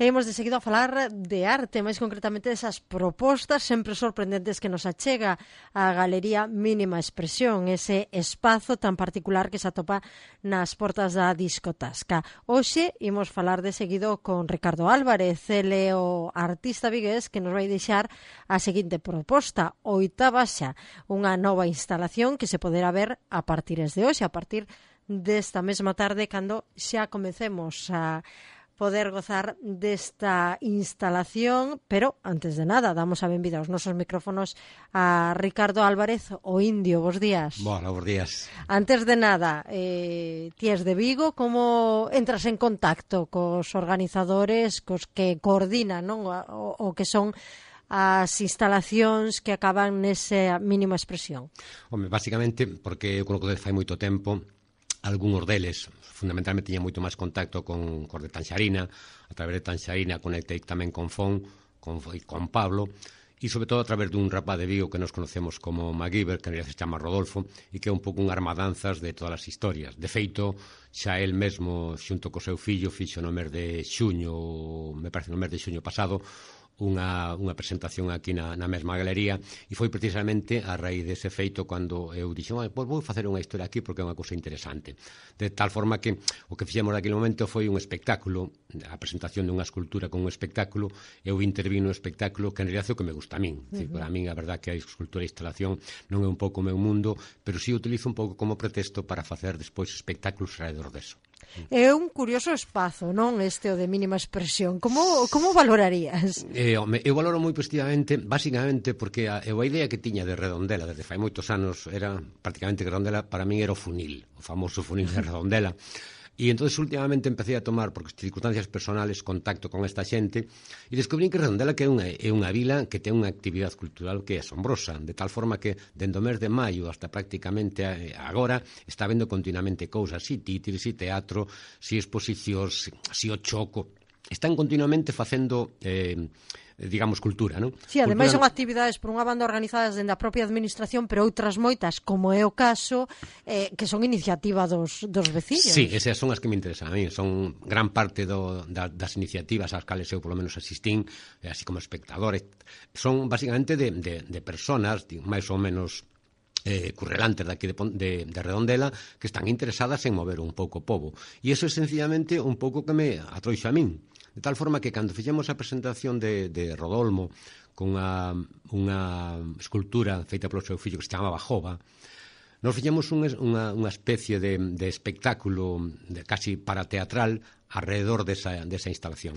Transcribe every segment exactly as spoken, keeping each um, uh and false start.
E imos de seguido a falar de arte, máis concretamente desas propostas sempre sorprendentes que nos achega a Galería Mínima Expresión, ese espazo tan particular que se atopa nas portas da Discotasca. Hoxe imos falar de seguido con Ricardo Álvarez, ele o artista vigués que nos vai deixar a seguinte proposta, Oitava Xa, unha nova instalación que se poderá ver a partir de hoxe, a partir desta mesma tarde, cando xa comecemos a poder gozar desta instalación, pero antes de nada damos a benvida aos nosos micrófonos a Ricardo Álvarez, o Indio. Bos días. Bueno, bos días. Antes de nada, eh, ti és de Vigo, como entras en contacto cos organizadores, cos que coordinan, non? O, o que son as instalacións que acaban nesa mínima expresión? Home, basicamente, porque eu conozco desde fai moito tempo, algúns deles, fundamentalmente, tiña moito máis contacto con, con de Tanxarina, a través de Tanxarina conectei tamén con Fon, con, con Pablo, e sobre todo a través dun rapaz de Vigo que nos conocemos como MacGyver, que en realidad se chama Rodolfo, e que é un pouco un armadanzas de todas as historias. De feito, xa el mesmo, xunto co seu fillo, fixo no mes de xuño, me parece no mes de xuño pasado, Unha, unha presentación aquí na, na mesma galería, e foi precisamente a raíz dese feito cando eu dixo, ah, pois vou facer unha historia aquí porque é unha cousa interesante, de tal forma que o que fixemos naquele momento foi un espectáculo, a presentación dunha escultura con un espectáculo. Eu intervino no espectáculo, que en realidad é o que me gusta a min. Uh-huh. Para min a verdad que a escultura e instalación non é un pouco o meu mundo, pero si utilizo un pouco como pretexto para facer despois espectáculos alrededor deso. É un curioso espazo, non, este o de mínima expresión. Como, como valorarías? Eh, home, eu valoro moi positivamente, basicamente porque a, eu a idea que tiña de Redondela desde fai moitos anos era prácticamente que Redondela para min era o funil, o famoso funil de Redondela. E entón, últimamente, empecé a tomar, por circunstancias personales, contacto con esta xente e descubrí que Redondela que é unha, é unha vila que ten unha actividade cultural que é asombrosa, de tal forma que, dende o mes de maio hasta prácticamente agora, está vendo continuamente cousas, si títeres, si teatro, si exposicións, si o choco. Están continuamente facendo... Eh, digamos, cultura, non? Si, sí, ademais son actividades por unha banda organizadas dende a propia administración, pero outras moitas, como é o caso, eh, que son iniciativa dos, dos veciños. Sí, esas son as que me interesan a mí, son gran parte do, da, das iniciativas ás cales eu polo menos asistín, así como espectadores, son basicamente de, de, de personas máis ou menos eh, currelantes daqui de, de, de Redondela que están interesadas en mover un pouco o pobo, e iso é sencillamente un pouco que me atroixo a min. De tal forma que cando fixemos a presentación de, de Rodolmo con unha, unha escultura feita polo seu fillo que se chamaba Jova, nos fixemos un, unha, unha especie de, de espectáculo de, casi parateatral alrededor desa, desa instalación.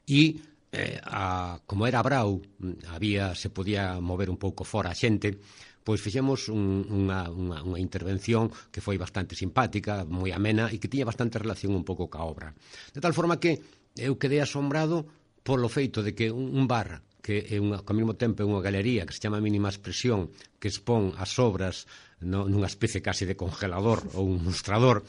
E eh, a, como era Brau, había, se podía mover un pouco fora a xente, pois fixemos un, unha, unha, unha intervención que foi bastante simpática, moi amena e que tiña bastante relación un pouco ca obra. De tal forma que eu quedei asombrado polo feito de que un bar que é unha, ao mesmo tempo é unha galería que se chama Mínima Expresión, que expón as obras no, nunha especie casi de congelador ou un mostrador,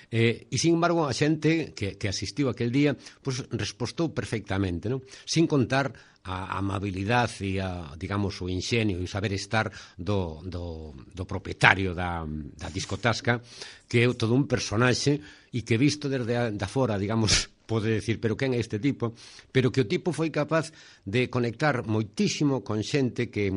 eh, e sin embargo a xente que, que asistiu aquel día pues, respostou perfectamente, non? Sin contar a amabilidade e a, digamos, o inxenio e o saber estar do, do, do propietario da, da Discotasca, que é todo un personaxe e que visto desde a, da fora, digamos, pode decir, pero quen é este tipo? Pero que o tipo foi capaz de conectar moitísimo con xente que,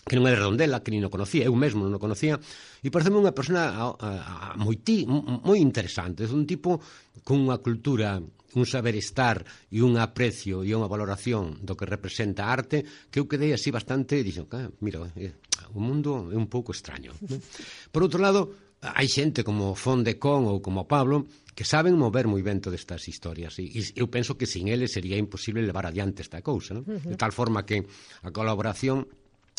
que non é de Redondela, que nin o conocía, eu mesmo non o conocía, e pareceme unha persona a, a, a, moití, moi interesante, é un tipo con unha cultura, un saber estar e un aprecio e unha valoración do que representa a arte, que eu quedei así bastante, e dixo, ah, mira, eh, o mundo é un pouco extraño, non? Por outro lado, hai xente como Fon de Con ou como Pablo que saben mover moi ben todas estas historias, e, e eu penso que sin eles sería imposible levar adiante esta cousa, non? Uh-huh. De tal forma que a colaboración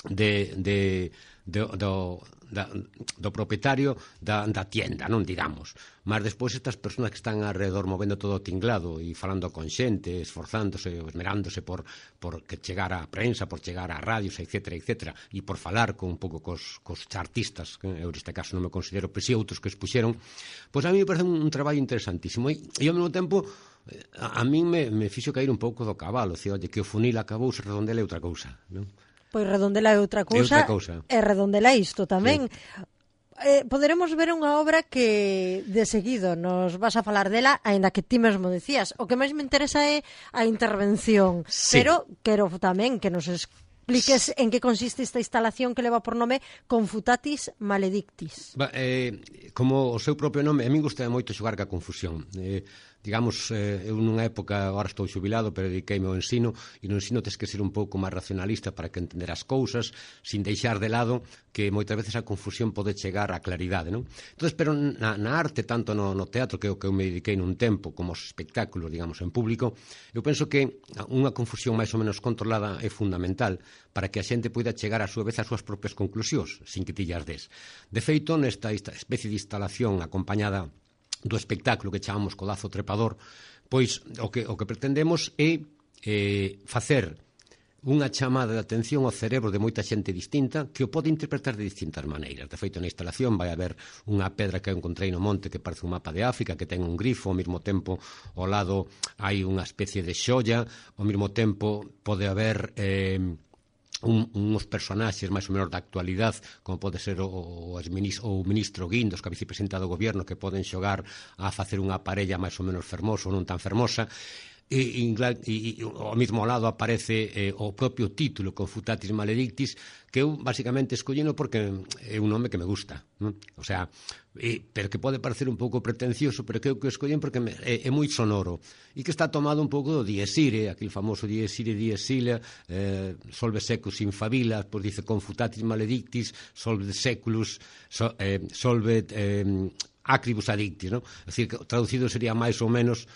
de, de, de, do, da, do propietario da, da tienda, non digamos, mas despois estas persoas que están alrededor movendo todo o tinglado e falando con xente, esforzándose, esmerándose por, por que chegar á prensa, por chegar á radios, etcétera, etcétera, e por falar con un pouco cos, cos artistas, que eu neste caso non me considero, pero si outros que expuxeron, pois a mí me parece un, un traballo interesantísimo, e, e ao mesmo tempo a, a mí me, me fixo cair un pouco do cabalo, dicir, oye, que o funil acabou, se Redondela é outra cousa, non? Pois Redondela é outra cousa, é outra cousa. E Redondela isto tamén. Sí. eh, poderemos ver unha obra que de seguido nos vas a falar dela, aínda que ti mesmo decías. O que máis me interesa é a intervención, sí. pero quero tamén que nos expliques en que consiste esta instalación que leva por nome Confutatis Maledictis. Ba, eh, como o seu propio nome, a min gusta moito xogar ca confusión. Eh, digamos, eh, eu nunha época, agora estou xubilado, pero dediqueime ao ensino, e no ensino tens que ser un pouco máis racionalista para que entender as cousas, sin deixar de lado que moitas veces a confusión pode chegar á claridade, non? Entón, pero na, na arte, tanto no, no teatro, que é o que eu me dediquei nun tempo, como os espectáculos, digamos, en público, eu penso que unha confusión máis ou menos controlada é fundamental para que a xente poida chegar a súa vez ás súas propias conclusións, sin que ti llas des. De feito, nesta especie de instalación acompañada do espectáculo que chamamos Codazo Trepador, pois o que, o que pretendemos é eh, facer unha chamada de atención ao cerebro de moita xente distinta que o pode interpretar de distintas maneiras. De feito, na instalación vai haber unha pedra que eu encontrei no monte que parece un mapa de África, que ten un grifo, ao mesmo tempo ao lado hai unha especie de xolla, ao mesmo tempo pode haber eh, Un, uns personaxes máis ou menos da actualidade, como pode ser o, o, o ministro Guindos, que é vicepresidente do goberno, que poden xogar a facer unha parella máis ou menos fermosa ou non tan fermosa. E, e, e, e ao mesmo lado aparece eh, o propio título, Confutatis Maledictis, que eu basicamente escollino porque é un nome que me gusta, non? O sea, eh, pero que pode parecer un pouco pretencioso, pero que eu que escollín porque me, é, é moi sonoro e que está tomado un pouco do Dies Irae, aquele famoso Dies Irae, Dies Irae, eh, solve secus in favila, pois dice Confutatis Maledictis, solve seculus, so, eh, solve eh, acribus addictis, non? É dicir, que traducido sería máis ou menos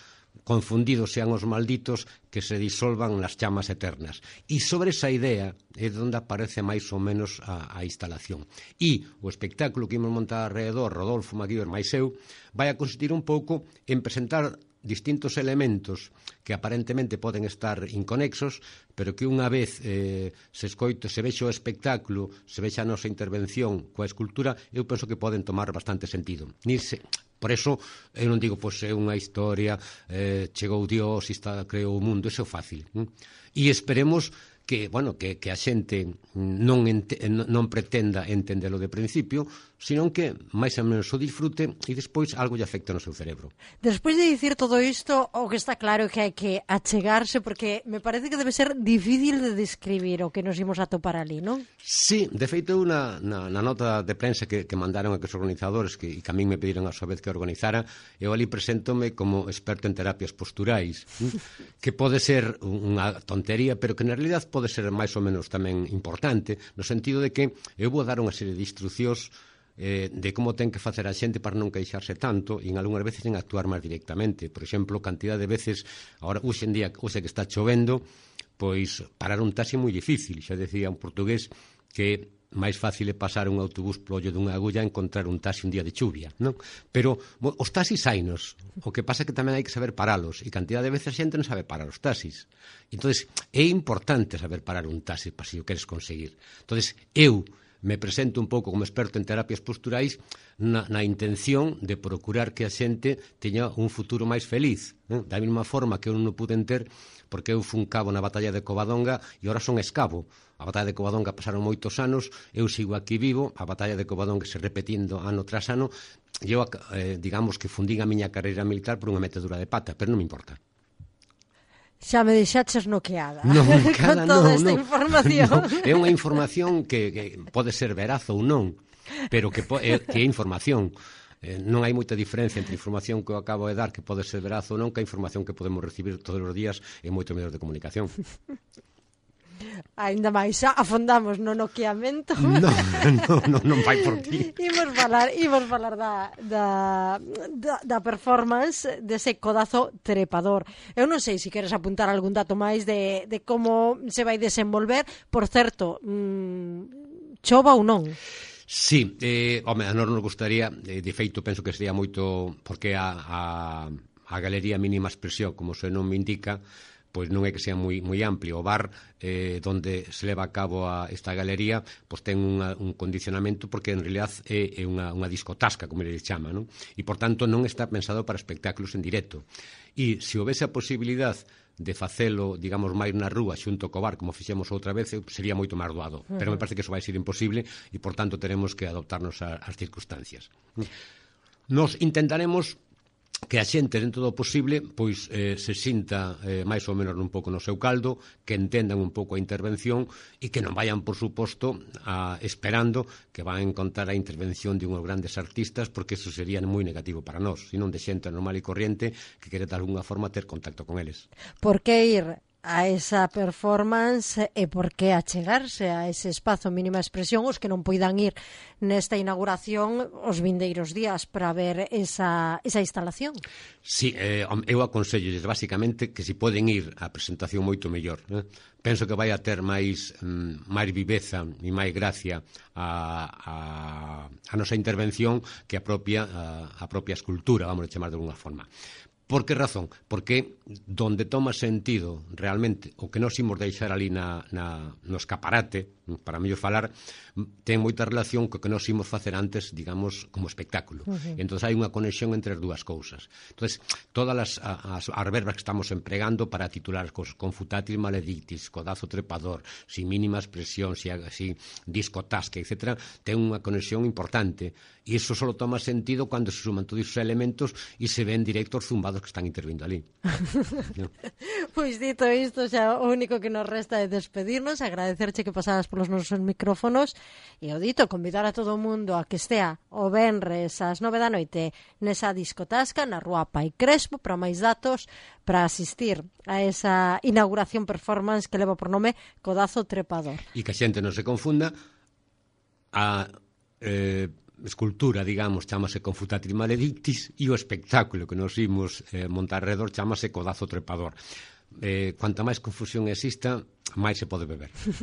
confundidos sean os malditos que se disolvan nas chamas eternas. E sobre esa idea é onde aparece máis ou menos a, a instalación. E o espectáculo que imos montar alrededor, Rodolfo Maguíber máis eu, vai a consistir un pouco en presentar distintos elementos que aparentemente poden estar inconexos, pero que unha vez eh, se escoito, se vexe o espectáculo, se vexe a nosa intervención coa escultura, eu penso que poden tomar bastante sentido. Ni se, por eso, eu non digo, pois é unha historia, eh, chegou Dios e está, creou o mundo, eso é fácil. Hm? E esperemos que, bueno, que, que a xente non, ente, non pretenda entendelo de principio, senón que máis ou menos o disfrute e despois algo lle afecta no seu cerebro. Despois de dicir todo isto, o que está claro é que hai que achegarse, porque me parece que debe ser difícil de describir o que nos imos a topar ali, non? Sí, de feito, na, na, na nota de prensa que, que mandaron a que os organizadores, que, e que a min me pediron a súa vez que organizara, eu ali preséntome como experto en terapias posturais, que pode ser unha tontería, pero que na realidad pode ser máis ou menos tamén importante, no sentido de que eu vou dar unha serie de instruccións eh, de como ten que facer a xente para non queixarse tanto e en algunhas veces en actuar máis directamente. Por exemplo, cantidad de veces, agora, hoxe en día, hoxe que está chovendo, pois parar un taxi é moi difícil. Xa decía un portugués que máis fácil é pasar un autobús polo ollo dunha agulla a encontrar un taxi un día de chuvia, non? Pero bo, os taxis hainos, o que pasa é que tamén hai que saber paralos, e cantidad de veces a xente non sabe parar os taxis. Entonces, é importante saber parar un taxi para se o queres conseguir. Entonces, eu me presento un pouco como experto en terapias posturais na, na intención de procurar que a xente teña un futuro máis feliz, non? Da mesma forma que eu non o puden ter porque eu fun cabo na batalla de Covadonga e ora son escabo. A batalla de Covadonga pasaron moitos anos, eu sigo aquí vivo, a batalla de Covadonga se repetindo ano tras ano, e eu, eh, digamos que fundín a miña carreira militar por unha metedura de pata, pero non me importa. Xa me deixaches noqueada non, cada, con toda no, esta no, información. No, é unha información que, que pode ser veraz ou non, pero que, é, que é información. Eh, non hai moita diferencia entre a información que eu acabo de dar, que pode ser veraz ou non, que a información que podemos recibir todos os días en moitos medios de comunicación. Ainda máis, afondamos no noqueamento. No, no, no, non vai por ti. Imos falar, imos falar da, da, da, da performance dese codazo trepador. Eu non sei se queres apuntar algún dato máis de, de como se vai desenvolver. Por certo, mmm, chova ou non? Sí, eh, home, a nós nos gustaría, eh, de feito penso que sería moito, porque a, a, a galería mínima expresión, como se non me indica, pois non é que sea moi, moi amplio. O bar eh, donde se leva a cabo a esta galería pois ten unha, un condicionamento porque en realidad é, é unha, unha discotasca, como ele chama, non? E por tanto non está pensado para espectáculos en directo. E se houvese a posibilidade de facelo, digamos, máis na rúa xunto co bar, como fixemos outra vez, sería moito máis doado. Uh -huh. Pero me parece que eso vai ser imposible e, por tanto, teremos que adoptarnos ás circunstancias. Nos intentaremos que a xente, dentro do posible, pois eh, se sinta eh, máis ou menos un pouco no seu caldo, que entendan un pouco a intervención e que non vayan, por suposto, a, esperando que van a encontrar a intervención de unhos grandes artistas, porque eso sería moi negativo para nós, senón de xente normal e corriente que quere de alguna forma ter contacto con eles. Por que ir a esa performance e por que achegarse a ese espazo mínima expresión os que non poidan ir nesta inauguración os vindeiros días para ver esa, esa instalación? Sí, eh, eu aconsellolles basicamente que se poden ir a presentación moito mellor, eh? Penso que vai a ter máis, mm, máis viveza e máis gracia a, a, a nosa intervención que a propia, a, a propia escultura, vamos a chamar de alguna forma. Por que razón? Porque donde toma sentido realmente o que nos imos deixar ali na, na, no escaparate, para mellor falar, ten moita relación co que nos imos facer antes, digamos, como espectáculo. Uh-huh. Entón hai unha conexión entre as dúas cousas. Entón, todas as, as, as verbas que estamos empregando para titular as cousas, confutatis maledictis, codazo trepador, sin mínima expresión, si, si disco tasca, etcétera, ten unha conexión importante. E iso só toma sentido cando se suman todos os elementos e se ven directos zumbados que están intervindo ali. No. Pois dito isto, xa o único que nos resta é despedirnos, agradecerche que pasaras polos nosos micrófonos e o dito, convidar a todo o mundo a que estea o venres ás nove da noite nesa discotasca na Rúa Pai Crespo. Para máis datos, para asistir a esa inauguración performance que leva por nome Codazo Trepador. E que a xente non se confunda, a eh, escultura, digamos, chamase Confutatis Maledictis e o espectáculo que nos imos eh, montar alrededor chamase Codazo Trepador. Eh, cuanta máis confusión exista, máis se pode beber.